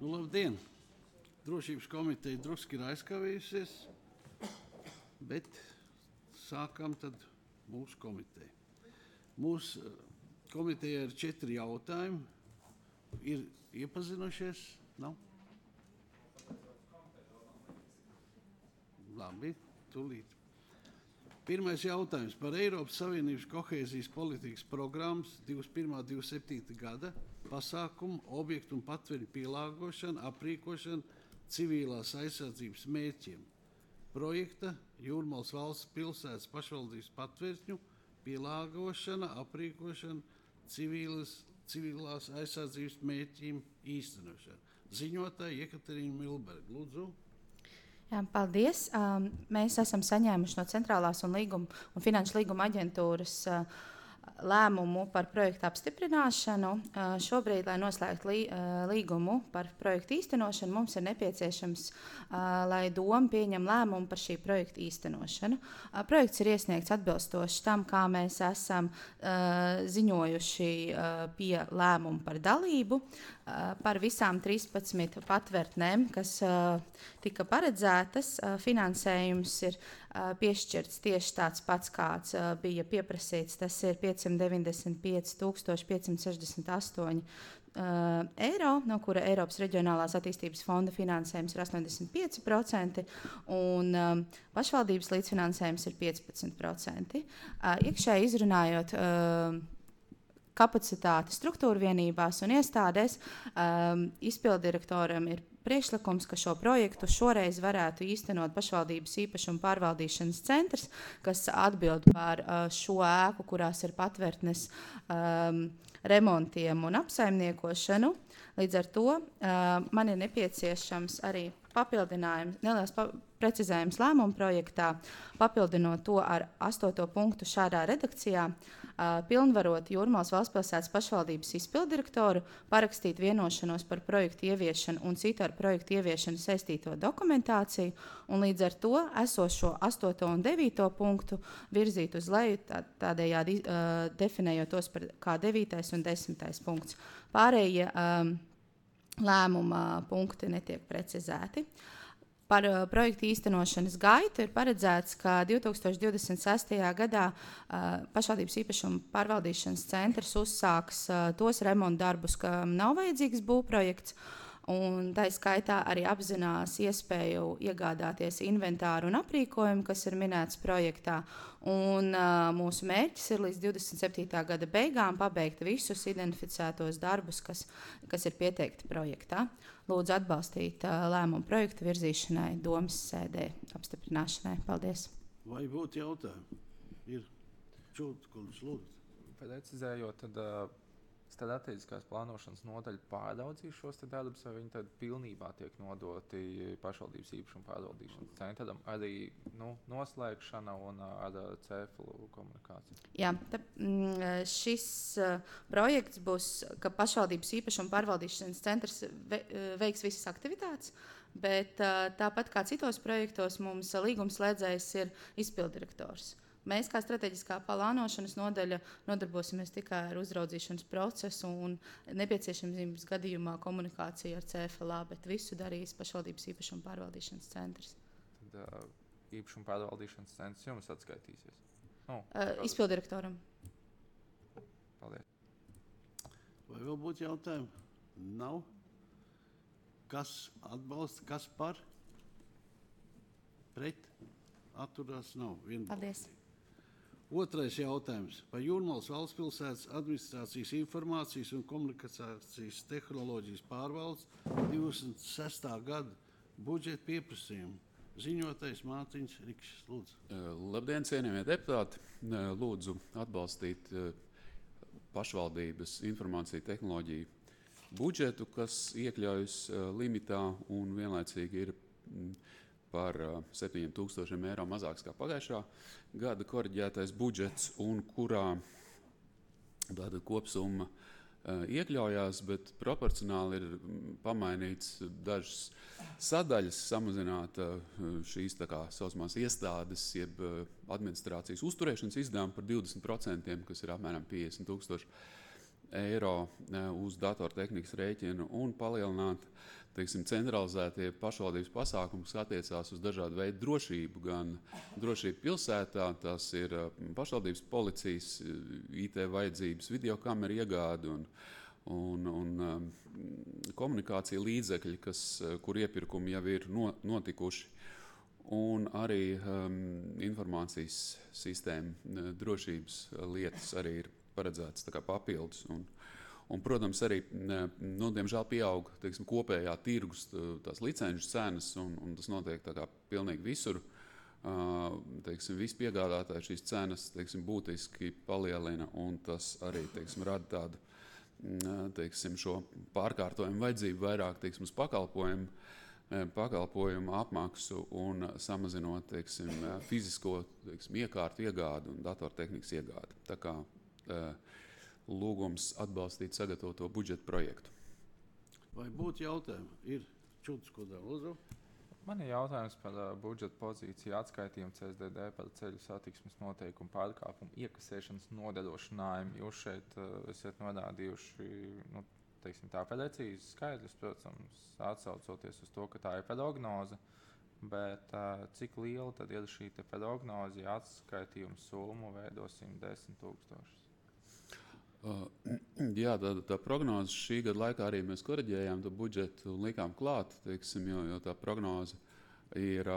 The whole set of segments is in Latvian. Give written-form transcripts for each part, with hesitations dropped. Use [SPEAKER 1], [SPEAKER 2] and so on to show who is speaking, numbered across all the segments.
[SPEAKER 1] Labdien! Drošības komiteja druski ir aizkavējusies, bet sākam tad mūsu komiteju. Mūsu komiteja ir 4 jautājumi. Ir iepazinušies? Nav? Labi, tūlīt. Pirmais jautājums par Eiropas Savienības kohēzijas politikas programmas 21.27. gada pasākumu, objektu un patveļu pielāgošanu, aprīkošanu civilās aizsardzības mērķiem. Projekta Jūrmalas valsts pilsētas pašvaldības patveļu pielāgošana, aprīkošana civilās aizsardzības mērķiem īstenošana. Ziņotāja Ekaterīna Milberga. Lūdzu.
[SPEAKER 2] Jā, paldies. Mēs esam saņēmuši no Centrālās un finanšu līguma aģentūras lēmumu par projektu apstiprināšanu. Šobrīd, lai noslēgtu līgumu par projektu īstenošanu, mums ir nepieciešams, lai doma pieņem lēmumu par šī projekta īstenošanu. Projekts ir iesniegts atbilstoši tam, kā mēs esam ziņojuši pie lēmumu par dalību. Par visām 13 patvērtnēm, kas tika paredzētas, finansējums ir piešķirts tieši tāds pats, kāds bija pieprasīts. Tas ir 595 568 eiro, no kura Eiropas Reģionālās attīstības fonda finansējums ir 85% un pašvaldības līdzfinansējums ir 15%. Iekšēji izrunājot kapacitāti struktūra vienībās un iestādēs, izpilddirektoram ir priekšlikums, ka šo projektu šoreiz varētu īstenot pašvaldības īpašuma pārvaldīšanas centrs, kas atbild par šo ēku, kurās ir patvērtnes remontiem un apsaimniekošanu. Līdz ar to man ir nepieciešams arī papildinājums, neliels precizējums lēmuma projektā, papildinot to ar 8. punktu šādā redakcijā, pilnvarot Jūrmalas valstspilsētas pašvaldības izpilddirektoru parakstīt vienošanos par projektu ieviešanu un citu ar projektu ieviešanu saistīto dokumentāciju, un līdz ar to esošo 8. un 9. punktu virzīt uz leju, tādējādi definējot tos par kā 9. un 10. punkts. Pārējie lēmuma punkti netiek precizēti. Par projektu īstenošanas gaitu ir paredzēts, ka 2026. gadā pašvaldības īpašuma pārvaldīšanas centrs uzsāks tos remontu darbus, kam nav vajadzīgs būvprojekts, un tā skaitā arī apzinās iespēju iegādāties inventāru un aprīkojumu, kas ir minēts projektā. Un mūsu mērķis ir līdz 27. gada beigām pabeigt visus identificētos darbus, kas ir pieteikti projektā. Lūdzu atbalstīt lēmumu projektu virzīšanai domas sēdē apstiprināšanai. Paldies.
[SPEAKER 1] Vai būtu jautājumi? Ir Čūtkulis, lūdzu.
[SPEAKER 3] Precizējot, tad strateģiskās plānošanas nodaļa pāraudzīs šos darbus, vai viņi tad pilnībā tiek nodoti pašvaldības īpašuma pārvaldīšanas centram, arī noslēgšana un ar CEFL komunikāciju?
[SPEAKER 2] Jā, šis projekts būs, ka pašvaldības īpašuma pārvaldīšanas centrs veiks visas aktivitātes, bet tāpat kā citos projektos mums līgumslēdzējs ir izpilddirektors. Mēs, kā strateģiskā plānošanas nodaļa, nodarbosimies tikai ar uzraudzīšanas procesu un nepieciešamības gadījumā komunikāciju ar CFLA, bet visu darīs pašvaldības īpašuma pārvaldīšanas centrs.
[SPEAKER 3] Tad īpašuma pārvaldīšanas centrs jums atskaitīsies?
[SPEAKER 2] Izpilddirektoram.
[SPEAKER 3] Paldies.
[SPEAKER 1] Vai vēl būtu jautājumi? Nav. Kas atbalsta, kas par? Pret? Atturās nav.
[SPEAKER 2] Paldies.
[SPEAKER 1] Otrais jautājums par Jūrmalas valstspilsētas administrācijas informācijas un komunikācijas tehnoloģijas pārvaldes 26. gada budžeta pieprasījumu. Ziņotājs Mārtiņš Rikšs, lūdzu.
[SPEAKER 4] Labdien, cienījamie deputāti. Lūdzu atbalstīt pašvaldības informāciju tehnoloģiju budžetu, kas iekļaujas limitā un vienlaicīgi ir par 7,000 eiro mazāks kā pagājušā gada koriģētais budžets, un kurā tāda kopsumma iekļaujās, bet proporcionāli ir pamainīts dažas sadaļas, samazināta šīs tā kā saucamās iestādes, jeb administrācijas uzturēšanas izdevumi par 20%, kas ir apmēram 50,000 eiro uz datortehnikas rēķinu, un palielināt teiksim, centralizētie pašvaldības pasākumi, kas attiecās uz dažādu veidu drošību, gan drošību pilsētā, tās ir pašvaldības policijas, IT vajadzības, videokameru iegādi un komunikācija līdzekļi, kur iepirkumi jau ir notikuši, un arī informācijas sistēma drošības lietas arī ir paredzētas tā kā papildus. Un, protams, arī, diemžēl pieaug, teiksim, kopējā tirgus tās licenču cenas, un tas notiek tā kā pilnīgi visur. Teiksim, visi piegādātāji šīs cenas, teiksim, būtiski palielina, un tas arī, teiksim, rada tādu, teiksim, šo pārkārtojumu vajadzību vairāk, teiksim, uz pakalpojumu apmaksu un samazinot, teiksim, fizisko, teiksim, iekārtu iegādi un datortehnikas iegādi. Tā kā lūgums atbalstīt sagatavoto budžeta projektu.
[SPEAKER 1] Vai būtu jautājumi? Ir Čuds, ko dara Lūdzu?
[SPEAKER 3] Man ir jautājums par budžeta pozīciju atskaitījumu CSDD par ceļu satiksmes noteikumu pārkāpumu iekasēšanas nodrošinājumu. Jūs šeit esat norādījuši, teiksim, tā precīzi skaidrs, protams, atsaucoties uz to, ka tā ir prognoze, bet cik liela tad ir šī prognoze, ja atskaitījuma summu veido 110 000?
[SPEAKER 4] Jā, tā prognoze šī gada laikā arī mēs koriģējām to budžetu un likām klāt, teiksim, jo tā prognoze ir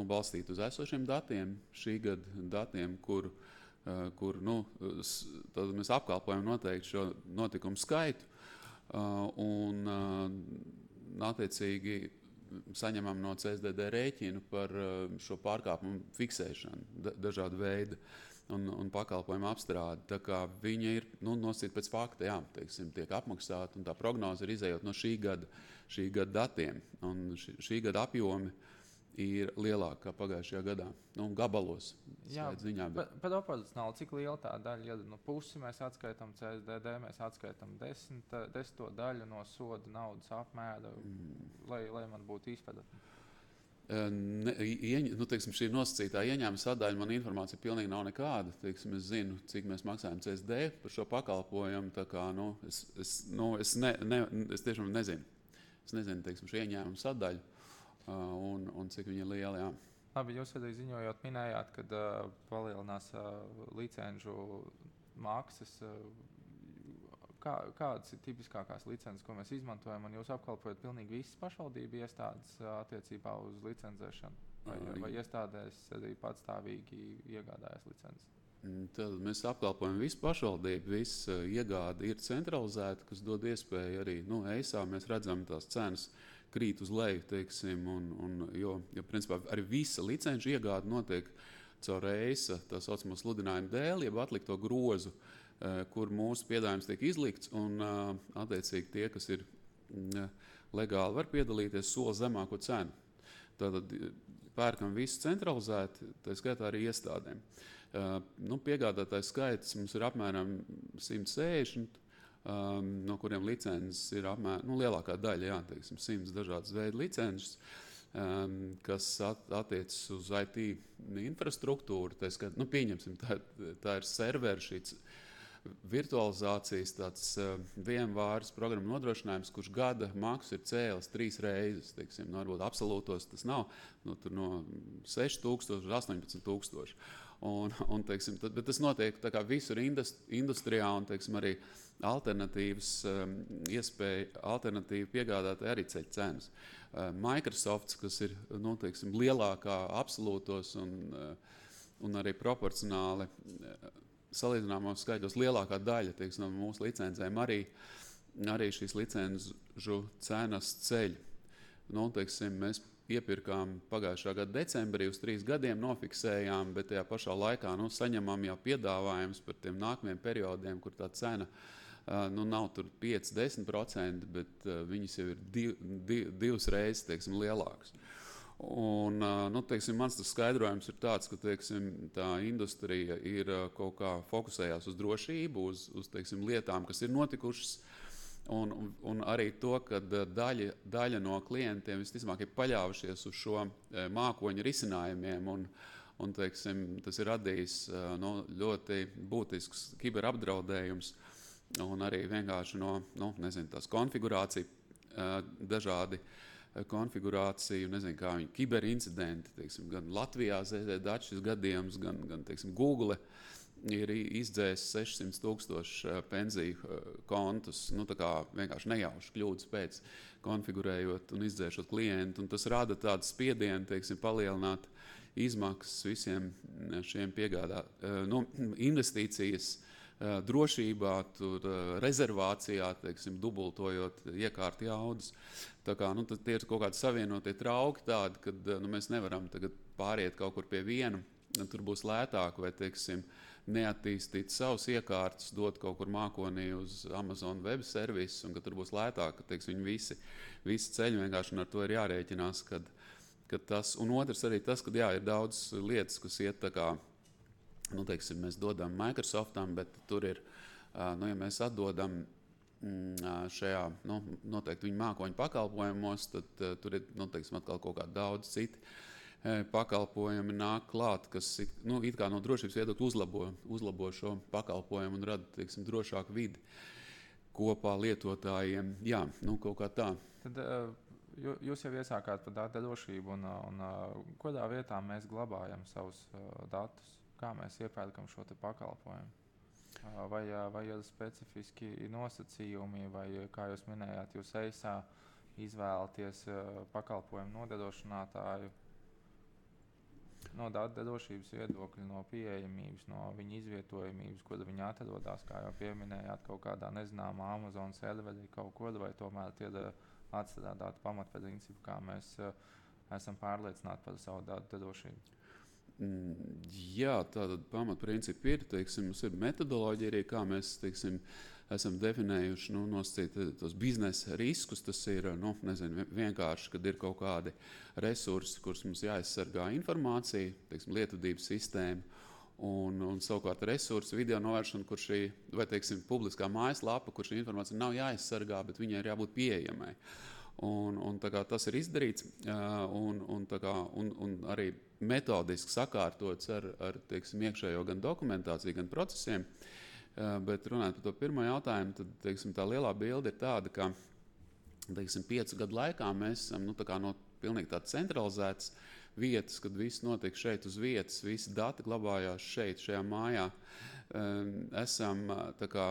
[SPEAKER 4] balstīta uz esošiem datiem, šī gada datiem, kur tad mēs apkalpojam noteikti šo notikumu skaitu un attiecīgi saņemam no CSDD rēķinu par šo pārkāpumu fiksēšanu dažādu veidu un pakalpojumu apstrādi. Tā kā viņa ir nosacīta pēc fakta, jā, teiksim, tiek apmaksāta, un tā prognoze ir izējot no šī gada datiem. Un šī gada apjomi ir lielāki kā pagājušajā gadā. Gabalos.
[SPEAKER 3] Jā, bet proporcionāli, cik liela tā daļa ir? Pusi mēs atskaitām CSDD, mēs atskaitām 10 daļu no soda naudas apmēra, lai man būtu izpratne.
[SPEAKER 4] Teiksim, šī nosacītā ieņēmuma sadaļa, man informācija pilnīgi nav nekāda. Teiksim, es zinu, cik mēs maksājam CSD par šo pakalpojumu. Tā kā, es tiešām nezinu. Es nezinu, teiksim, šo ieņēmuma sadaļu un cik viņa ir liela. Jā.
[SPEAKER 3] Labi, jūs arī ziņojot minējāt, kad palielinās licenču maksas. Kādas ir tipiskākās licences, ko mēs izmantojam, un jūs apkalpojat pilnīgi visas pašvaldību iestādes attiecībā uz licencēšanu? Vai iestādēs arī patstāvīgi iegādājas licences?
[SPEAKER 4] Tad mēs apkalpojam visu pašvaldību, visa iegāde ir centralizēta, kas dod iespēju arī, EISā mēs redzam tās cenas krīt uz leju, teiksim, jo principā arī visa licenču iegāde notiek caur EISA, tā saucamo sludinājumu dēļ, jeb atlikto grozu, kur mūsu piedāvājums tiek izlikts, un attiecīgi tie, kas ir legāli, var piedalīties soli zemāko cenu. Tātad pērkam visu centralizēti, tā skaitā arī iestādēm. Piegādātājs skaits mums ir apmēram 160, no kuriem licences ir apmēram, lielākā daļa, jā, teiksim, 100 dažādas veidu licences, kas attiecas uz IT infrastruktūru. Tā skaitā, pieņemsim, tā ir serveri šīs virtualizācijas tāds vienvārds programmu nodrošinājums, kurš gada maksu ir cēlis 3 reizes. Teiksim, varbūt absolūtos tas nav, tur no 6,000 līdz 18,000. Teiksim, bet tas notiek tā kā visur industrijā, un teiksim, arī alternatīvas iespēja, alternatīvi piegādātāji arī ceļ cenas. Microsoft, kas ir teiksim, lielākā absolūtos un arī proporcionāli salīdzināmos skaitļos lielākā daļa, teiksim, no mūsu licencēm arī šīs licenču cenas ceļ. Teiksim, mēs iepirkām pagājušā gada decembrī uz 3 gadiem, nofiksējām, bet tajā pašā laikā saņemam jau piedāvājums par tiem nākamajiem periodiem, kur tā cena nav tur 5-10%, bet viņas jau ir 2 reizes, teiksim, lielākas. Un, teiksim, mans tas skaidrojums ir tāds, ka, teiksim, tā industrija ir kaut kā fokusējās uz drošību, uz teiksim, lietām, kas ir notikušas, un arī to, ka daļa no klientiem visticamāk ir paļāvušies uz šo mākoņu risinājumiem, un teiksim, tas ir radījis ļoti būtisks kiberapdraudējums, un arī vienkārši tās konfigurācija dažādi konfigurāciju, nezinu, kā viņi kiberincidenti, teiksim, gan Latvijā ZZ Dačs gadījums, gan teiksim, Google ir izdzēsis 600,000 pensiju kontus, tā kā vienkārši nejauši kļūdas pēc konfigurējot un izdzēšot klientu, un tas rada tādu spiedienu, teiksim, palielināt izmaksas visiem šiem investīcijas drošībā, rezervācijā, teiksim, dubultojot iekārtu jaudas. Tā kā, tie ir kaut kādi savienotie trauki tādi, kad mēs nevaram tagad pāriet kaut kur pie viena, tur būs lētāk vai, teiksim, neattīstīt savus iekārtus, dot kaut kur mākonī uz Amazon web servisu, un ka tur būs lētāk, ka, teiksim, viņi visi ceļi vienkārši, un ar to ir jārēķinās, kad tas, un otrs arī tas, ka jā, ir daudz lietas, kas iet tā kā, teiksim, mēs dodam Microsoftam, bet tur ir, ja mēs atdodam šajā, noteikti viņu mākoņu pakalpojumos, tad tur ir, teiksim, atkal kaut kā daudz citi pakalpojumi nāk klāt, kas it kā no drošības viedokļa uzlabo šo pakalpojumu un rada, teiksim, drošāku vidi kopā lietotājiem. Jā, kaut kā tā.
[SPEAKER 3] Tad jūs jau iesākāt par datu drošību un kādā vietā mēs glabājam savus datus? Kā mēs iepērkam šo te pakalpojumu? Vai ir specifiski nosacījumi, vai, kā jūs minējāt, jūs EISā izvēlaties pakalpojumu nodrošinātāju no datu drošības viedokļa, no pieejamības, no viņa izvietojamības, kur viņi atrodas, kā jau pieminējāt, kaut kādā nezināmā Amazon serverī kaut kur, vai tomēr tie ir atstrādāti pamatprincipi, kā mēs esam pārliecināti par savu datu drošību?
[SPEAKER 4] Jā, tātad pamatprincipi ir, teiksim, mums ir metodoloģija arī, kā mēs, teiksim, esam definējuši, nosacīt tos biznesa riskus. Tas ir, vienkārši, kad ir kaut kādi resursi, kurus mums jāaizsargā informācija, teiksim, lietotības sistēma, un savukārt resursi, video novēršana, kur šī, vai, teiksim, publiskā mājaslapa, kur šī informācija nav jāaizsargā, bet viņai ir jābūt pieejamai. Un tā kā tas ir izdarīts, un arī metodiski sakārtots ar teiksim, iekšējo gan dokumentāciju, gan procesiem. Bet runājot par to pirmo jautājumu, tad, teiksim, tā lielā bilde ir tāda, ka, teiksim, 5 gadu laikā mēs esam, no pilnīgi tāds centralizēts vietas, kad viss notiek šeit uz vietas, visi dati glabājās šeit, šajā mājā. Esam tā kā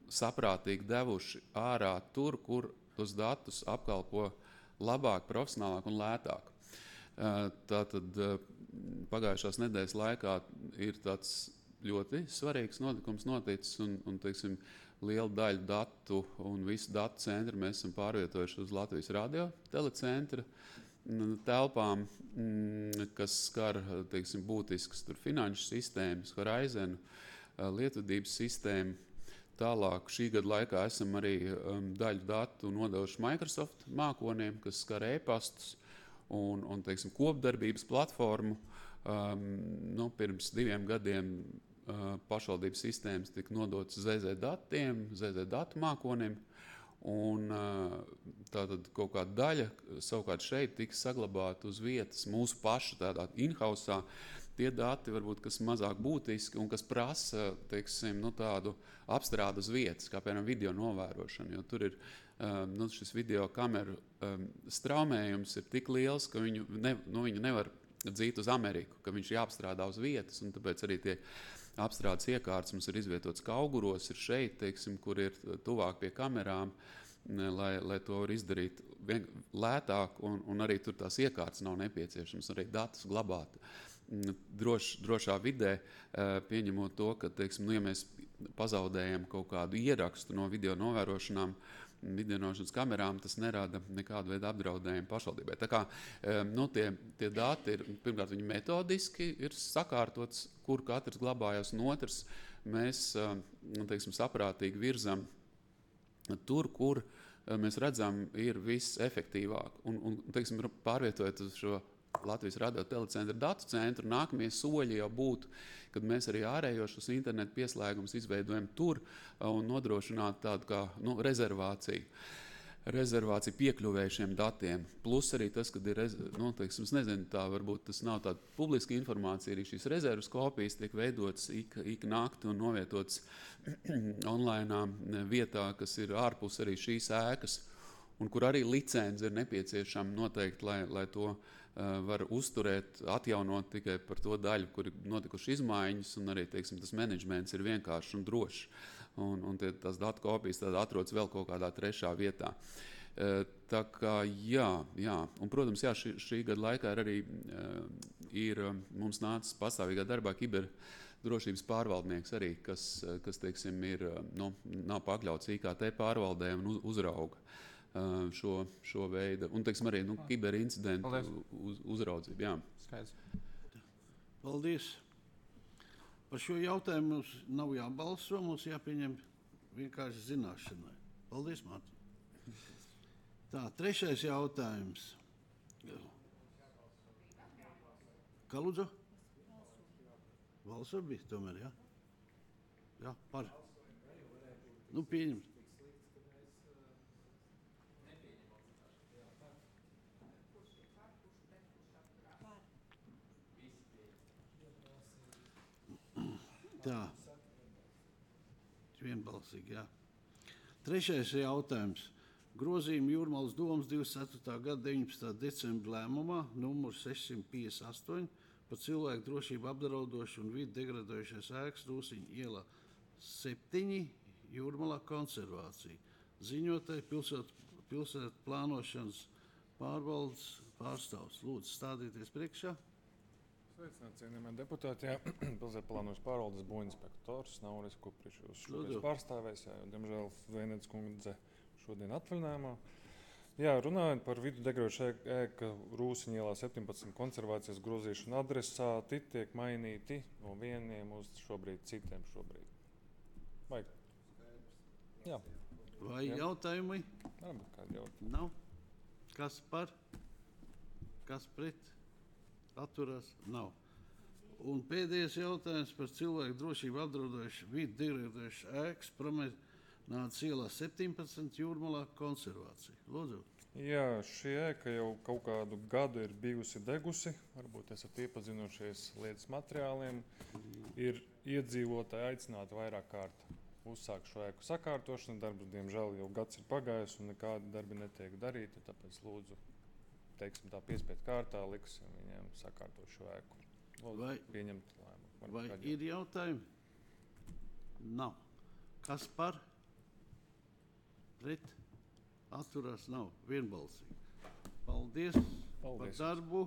[SPEAKER 4] saprātīgi devuši ārā tur, kur tos datus apkalpo labāk, profesionālāk un lētāk. Tātad pagājušās nedēļas laikā ir tāds ļoti svarīgs notikums noticis, un teiksim, liela daļa datu un visu datu centru mēs esam pārvietojuši uz Latvijas radio telecentra telpām, kas skar, teiksim, būtiskas finanšu sistēmas, Horizonu, lietotības sistēmu. Tālāk šī gada laikā esam arī daļu datu nodevuši Microsoft mākoniem, kas skar e-pastus un teiksim, kopdarbības platformu. Pirms 2 gadiem pašvaldības sistēmas tika nodotas ZZ datiem, ZZ datu mākoniem, un tātad kaut kāda daļa savukārt šeit tika saglabāta uz vietas mūsu pašu tādā in-housā. Tie dati, varbūt, kas mazāk būtiski un kas prasa, teiksim, tādu apstrādu uz vietas, kā piemēram video novērošana, jo tur ir šis video kameru straumējums ir tik liels, ka viņu nevar dzīt uz Ameriku, ka viņš jāapstrādā uz vietas, un tāpēc arī tie apstrādes iekārtas mums ir izvietots Kauguros, ir šeit, teiksim, kur ir tuvāk pie kamerām, lai to var izdarīt lētāk, un arī tur tās iekārtas nav nepieciešams, arī datus glabāt drošā vidē, pieņemot to, ka, teiksim, ja mēs pazaudējam kaut kādu ierakstu no video novērošanām, videonovērošanas kamerām, tas nerada nekādu veidu apdraudējumu pašvaldībai. Tā kā tie dati ir, pirmkārt, viņi metodiski ir sakārtots, kur katrs glabājas, un otrs mēs, teiksim, saprātīgi virzam tur, kur mēs redzam, ir viss efektīvāk. Un teiksim, pārvietojot uz šo Latvijas radio telecentra datu centru, nākamie soļi jau būtu, kad mēs arī ārējošus internetu pieslēgumus izveidojam tur un nodrošināt tādu kā rezervāciju. rezervācija piekļuvēja šiem datiem. Plus arī tas, kad ir, teiksim, es nezinu, tā varbūt tas nav tāda publiska informācija, arī šīs rezervas kopijas tiek veidotas ik nakti un novietotas online vietā, kas ir ārpus arī šīs ēkas, un kur arī licence ir nepieciešama noteikti, lai to var uzturēt, atjaunot tikai par to daļu, kur ir notikuši izmaiņas, un arī, teiksim, tas menedžments ir vienkāršs un drošs. Un tās datu kopijas atrodas vēl kaut kādā trešā vietā. Tā kā, jā. Un, protams, šī gada laikā arī ir mums nācis pastāvīgā darbā kiberdrošības pārvaldnieks arī, kas teiksim, nav pakļauts IKT pārvaldē un uzrauga šo veidu. Un, teiksim, arī kiberincidentu uzraudzību. Jā.
[SPEAKER 3] Skaidrs.
[SPEAKER 1] Paldies. Par šo jautājumu mums nav jābalso, mums jāpieņem vienkārši zināšanai. Paldies, Mārtiņ. Tā, 3. jautājums. Kā lūdzu? Balso bija tomēr, jā? Jā, par. Nu, pieņem. Tā. Vienbalsīgi, jā. 3. jautājums. Grozījumi Jūrmalas domas 24. gada 19. decembra lēmumā numur 658 par cilvēku drošību apdraudošu un vidi degradējušās ēkas Rūsiņu ielā 7 Jūrmalā konservācija. Ziņotāji pilsētu plānošanas pārvaldes pārstāvs. Lūdzu, stādieties priekšā.
[SPEAKER 5] Sveicināti, cienījamie deputāti. Pilsētu plānošanas pārvaldes būvinspektors Nauris Kuprišs jūs šodien pārstāvēs, jo, diemžēl, Zvejnieks kundze šodien atvaļinājumā. Jā, runājot par vidu degradējušā ēka Rūsiņu ielā 17 konservācijas grozīšanu adresāti tiek mainīti no vieniem uz šobrīd citiem šobrīd. Vai? Jā.
[SPEAKER 1] Vai jautājumi?
[SPEAKER 5] Varbūt kādi jautājumi.
[SPEAKER 1] Nav. Kas par? Kas pret? Atturās? Nav. Un pēdējais jautājums par cilvēku drošību apdraudošu vidi degradējušu ēkas promenādes ielā 17 Jūrmalā konservācija. Lūdzu.
[SPEAKER 5] Jā, šī ēka jau kaut kādu gadu ir bijusi degusi. Varbūt esat iepazinušies lietas materiāliem. Ir iedzīvotāji aicināti vairāk kārt uzsākt šo ēku sakārtošanu. Darbs, diemžēl, jau gads ir pagājis un nekādi darbi netiek darīti. Tāpēc lūdzu, teiksim tā piespiedu kārtā liksim viņiem sakārtot šo ēku. Lūdzu, pieņemt lēmumu.
[SPEAKER 1] Vai ir jautājumi? Nav. Kas par? Pret? Atturās? Nav. Vienbalsīgi. Paldies par darbu.